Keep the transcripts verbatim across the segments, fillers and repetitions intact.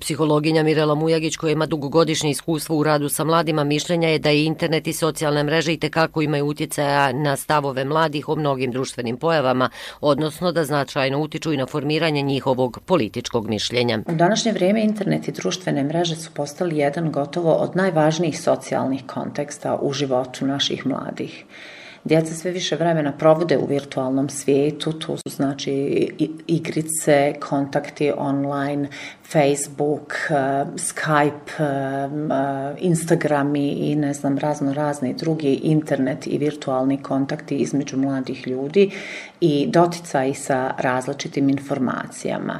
Psihologinja Mirela Mujagić, koja ima dugogodišnje iskustvo u radu sa mladima, mišljenja je da i internet i socijalne mreže itekako imaju utjecaja na stavove mladih o mnogim društvenim pojavama, odnosno da značajno utiču i na formiranje njihovog političkog mišljenja. U današnje vrijeme internet i društvene mreže su postali jedan gotovo od najvažnijih socijalnih konteksta u životu naših mladih. Djeca sve više vremena provode u virtualnom svijetu, tu su znači igrice, kontakti online, Facebook, Skype, Instagrami i ne znam razno razni drugi internet i virtualni kontakti između mladih ljudi i doticaji sa različitim informacijama.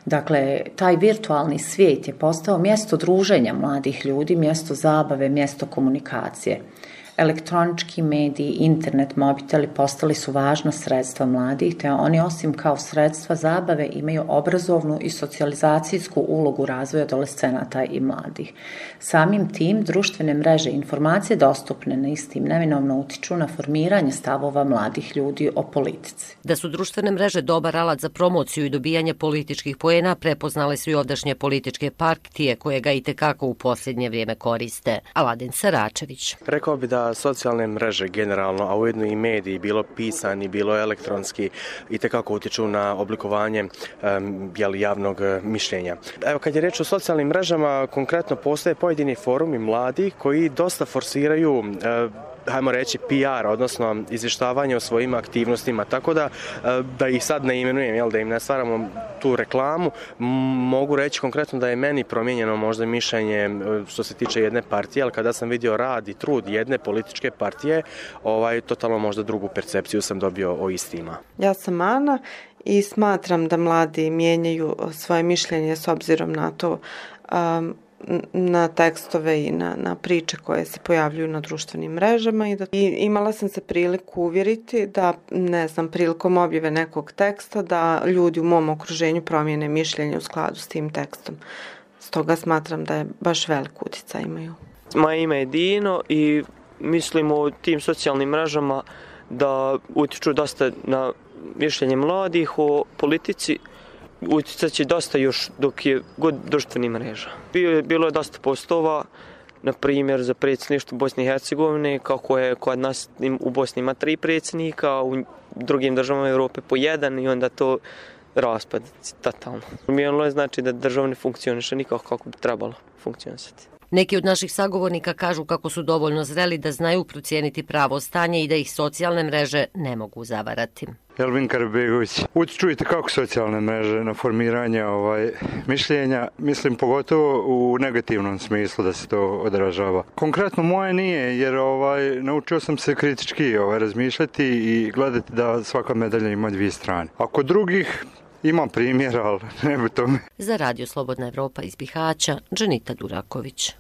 Dakle, taj virtualni svijet je postao mjesto druženja mladih ljudi, mjesto zabave, mjesto komunikacije. Elektronički mediji, internet, mobiteli postali su važna sredstva mladih, te oni osim kao sredstva zabave imaju obrazovnu i socijalizacijsku ulogu razvoja adolescenata i mladih. Samim tim, društvene mreže i informacije dostupne na istim neminovno utiču na formiranje stavova mladih ljudi o politici. Da su društvene mreže dobar alat za promociju i dobijanje političkih poena, prepoznale su i ovdašnje političke partije koje ga itekako u posljednje vrijeme koriste. Aladin Saračević. Rekao bi da socijalne mreže generalno, a ujedno i mediji, bilo pisani, bilo elektronski, itekako utječu na oblikovanje um, javnog mišljenja. Evo, kad je reč o socijalnim mrežama, konkretno postoje pojedini forumi mladih koji dosta forsiraju uh, hajmo reći P R, odnosno izvještavanje o svojim aktivnostima, tako da da ih sad ne imenujem, jel, da im ne stvaramo tu reklamu, mogu reći konkretno da je meni promijenjeno možda mišljenje što se tiče jedne partije, ali kada sam vidio rad i trud jedne političke partije, ovaj, totalno možda drugu percepciju sam dobio o istima. Ja sam Ana i smatram da mladi mijenjaju svoje mišljenje s obzirom na to um, na tekstove i na, na priče koje se pojavljuju na društvenim mrežama i, da, i imala sam se priliku uvjeriti da, ne znam, prilikom objave nekog teksta da ljudi u mom okruženju promijene mišljenje u skladu s tim tekstom. Stoga smatram da je baš velik utjecaj imaju. Moje ime je Dino i mislim o tim socijalnim mrežama da utiču dosta na mišljenje mladih o politici. Utjecat će dosta još dok je god društvenih mreža. Bilo, bilo je dosta postova, na primjer za predsjedništvo Bosne i Hercegovine, kako je kod nas u Bosni ima tri predsjednika, u drugim državama Europe po jedan i onda to raspad totalno. Promijenilo je znači da država ne funkcioniše nikako kako bi trebalo funkcionisati. Neki od naših sagovornika kažu kako su dovoljno zreli da znaju procijeniti pravo stanje i da ih socijalne mreže ne mogu zavarati. Elvin Karabegović. Čujete kako socijalne mreže na formiranje ovaj, mišljenja, mislim pogotovo u negativnom smislu da se to odražava. Konkretno moje nije, jer ovaj, naučio sam se kritički ovaj, razmišljati i gledati da svaka medalja ima dvije strane. A kod drugih imam primjer, ali ne bi tome. Za Radio Slobodna Evropa iz Bihaća, Dženita Duraković.